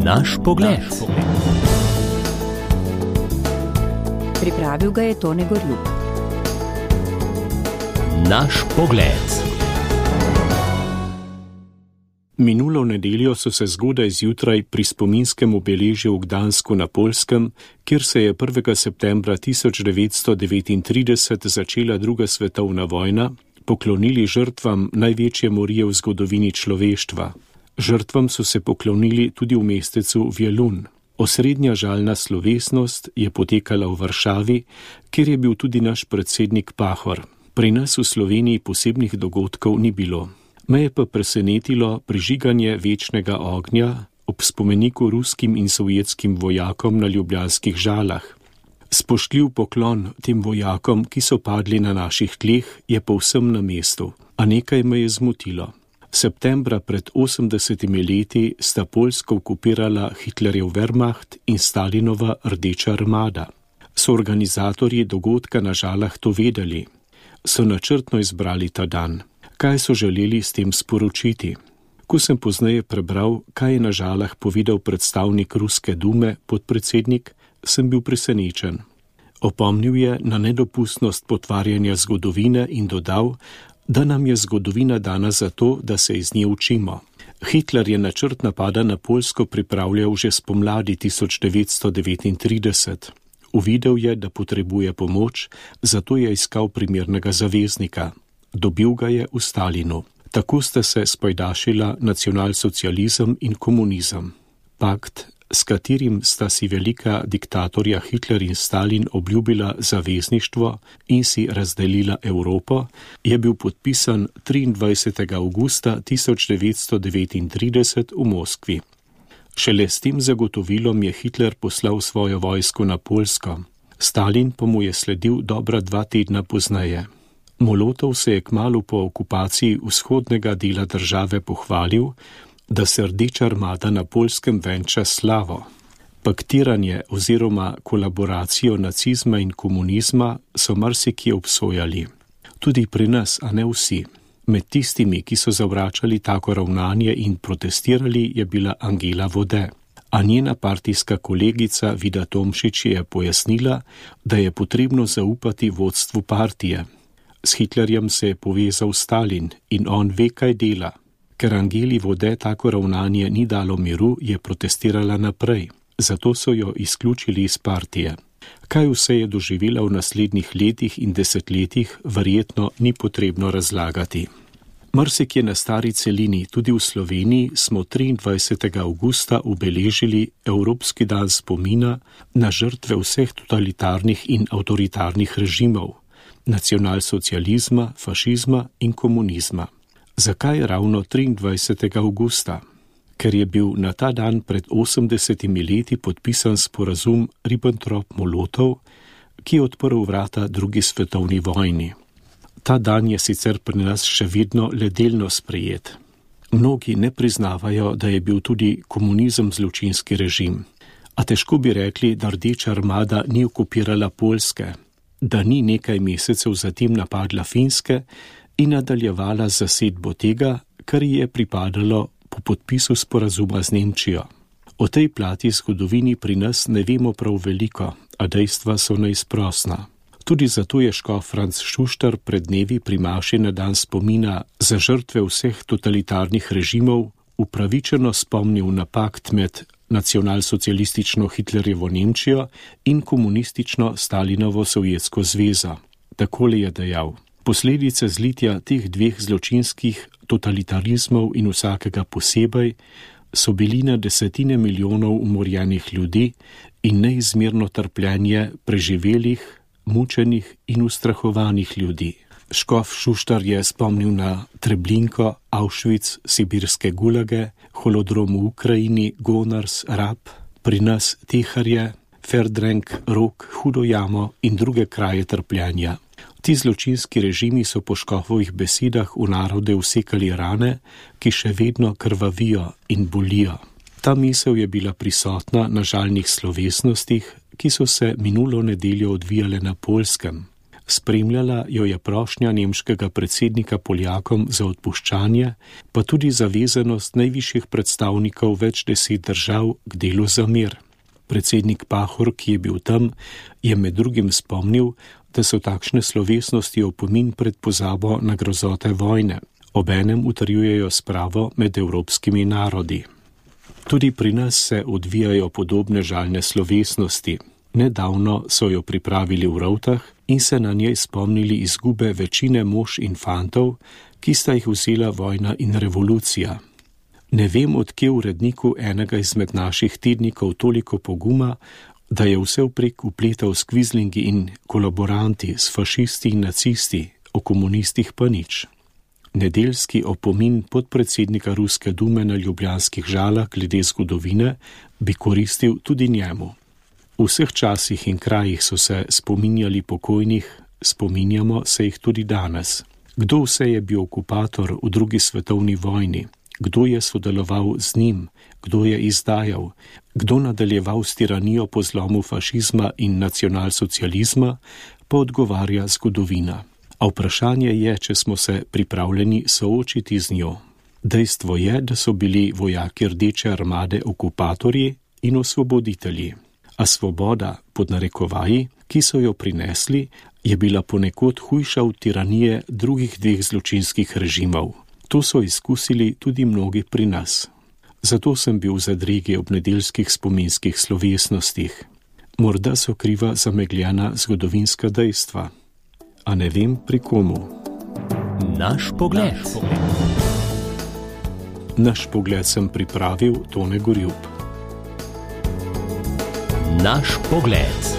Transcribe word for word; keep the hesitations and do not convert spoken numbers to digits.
Naš pogled. Pripravil ga je Tone Gorjup. Naš pogled. Minulo nedeljo so se zgodaj zjutraj pri spominskem obeležju v Gdansku na Poljskem, kjer se je prvega septembra tisoč devetsto devetintrideset začela druga svetovna vojna, poklonili žrtvam največje morije v zgodovini človeštva. Žrtvam so se poklonili tudi v mestecu Vjelun. Osrednja žalna slovesnost je potekala v Varšavi, kjer je bil tudi naš predsednik Pahor. Pri nas v Sloveniji posebnih dogodkov ni bilo. Me je pa presenetilo prižiganje večnega ognja ob spomeniku ruskim in sovjetskim vojakom na ljubljanskih Žalah. Spoštljiv poklon tem vojakom, ki so padli na naših tleh, je povsem na mestu, a nekaj me je zmotilo. Septembra pred osemdesetimi leti sta Poljsko okupirala Hitlerjev Wehrmacht in Stalinova Rdeča armada. So organizatorji dogodka na Žalah to vedeli? So načrtno izbrali ta dan? Kaj so želeli s tem sporočiti? Ko sem pozneje prebral, kaj je na Žalah povedal predstavnik Ruske dume, podpredsednik, sem bil presenečen. Opomnil je na nedopustnost potvarjanja zgodovine in dodal, da nam je zgodovina dana zato, da se iz nje učimo. Hitler je načrt napada na Poljsko pripravljal že spomladi tisoč devetsto devetintrideset. Uvidel je, da potrebuje pomoč, zato je iskal primernega zaveznika. Dobil ga je v Stalinu. Tako sta se spojdašila nacionalsocializem in komunizem. Pakt, s katerim sta si velika diktatorja Hitler in Stalin obljubila zavezništvo in si razdelila Evropo, je bil podpisan triindvajsetega avgusta tisoč devetsto devetintrideset v Moskvi. Šele s tem zagotovilom je Hitler poslal svojo vojsko na Poljsko. Stalin pa mu je sledil dobra dva tedna pozneje. Molotov se je kmalu po okupaciji vzhodnega dela države pohvalil, da se Rdeča armada na Poljskem venča slavo. Paktiranje oziroma kolaboracijo nacizma in komunizma so marsikje obsojali. Tudi pri nas, a ne vsi. Med tistimi, ki so zavračali tako ravnanje in protestirali, je bila Angela Vode. A njena partijska kolegica Vida Tomšič je pojasnila, da je potrebno zaupati vodstvu partije. S Hitlerjem se je povezal Stalin in on ve, kaj dela. Ker Angeli Vode tako ravnanje ni dalo miru, je protestirala naprej. Zato so jo izključili iz partije. Kaj vse je doživela v naslednjih letih in desetletjih, verjetno ni potrebno razlagati. Marsikje na stari celini, tudi v Sloveniji, smo triindvajsetega avgusta obeležili Evropski dan spomina na žrtve vseh totalitarnih in avtoritarnih režimov, nacionalsocializma, fašizma in komunizma. Zakaj ravno triindvajsetega avgusta? Ker je bil na ta dan pred osemdesetimi leti podpisan sporazum Ribbentrop-Molotov, ki je odprl vrata drugi svetovni vojni. Ta dan je sicer pri nas še vedno le delno sprejet. Mnogi ne priznavajo, da je bil tudi komunizem zločinski režim. A težko bi rekli, da Rdeča armada ni okupirala Poljske, da ni nekaj mesecev zatem napadla Finske in nadaljevala z zasedbo tega, kar ji je pripadalo po podpisu sporazuma z Nemčijo. O tej plati zgodovini pri nas ne vemo prav veliko, a dejstva so neizprosna. Tudi zato je škof Franc Šuštar pred dnevi pri maši na dan spomina za žrtve vseh totalitarnih režimov upravičeno spomnil na pakt med nacionalsocialistično Hitlerjevo Nemčijo in komunistično Stalinovo Sovjetsko zvezo. Takole je dejal: posledice zlitja teh dveh zločinskih totalitarizmov in vsakega posebej so bili na desetine milijonov umorjenih ljudi in neizmerno trpljenje preživelih, mučenih in ustrahovanih ljudi. Škof Šuštar je spomnil na Treblinko, Auschwitz, sibirske gulage, holodrom v Ukrajini, Gonars, Rab, pri nas Teharje, Ferdrenk, Rok, Hudo jamo in druge kraje trpljenja. Ti zločinski režimi so po škofovih besedah v narode vsekali rane, ki še vedno krvavijo in bolijo. Ta misel je bila prisotna na žalnih slovesnostih, ki so se minulo nedeljo odvijale na Poljskem. Spremljala jo je prošnja nemškega predsednika Poljakom za odpuščanje, pa tudi zavezanost najvišjih predstavnikov več deset držav k delu za mir. Predsednik Pahor, ki je bil tam, je med drugim spomnil, da so takšne slovesnosti opomin pred pozabo na grozote vojne, obenem utrjujejo spravo med evropskimi narodi. Tudi pri nas se odvijajo podobne žalne slovesnosti. Nedavno so jo pripravili v Rovtah in se na njej spomnili izgube večine mož in fantov, ki sta jih vzela vojna in revolucija. Ne vem, od kje uredniku enega izmed naših tednikov toliko poguma, da je vse vprek upletal s kvizlingi in kolaboranti, s fašisti in nacisti, o komunistih pa nič. Nedeljski opomin podpredsednika Ruske dume na ljubljanskih Žalah glede zgodovine bi koristil tudi njemu. V vseh časih in krajih so se spominjali pokojnih, spominjamo se jih tudi danes. Kdo vse je bil okupator v drugi svetovni vojni? Kdo je sodeloval z njim? Kdo je izdajal? Kdo nadaljeval s tiranijo po zlomu fašizma in nacionalsocializma, pa odgovarja zgodovina. A vprašanje je, če smo se pripravljeni soočiti z njo. Dejstvo je, da so bili vojaki Rdeče armade okupatorji in osvoboditelji. A svoboda, pod narekovaji, ki so jo prinesli, je bila ponekod hujša od tiranije drugih dveh zločinskih režimov. To so izkusili tudi mnogi pri nas. Zato sem bil v zadregi ob nedeljskih spominskih slovesnostih. Morda so kriva zamegljena zgodovinska dejstva. A ne vem pri komu. Naš pogled. Naš pogled sem pripravil Tone Gorjup. Naš pogled.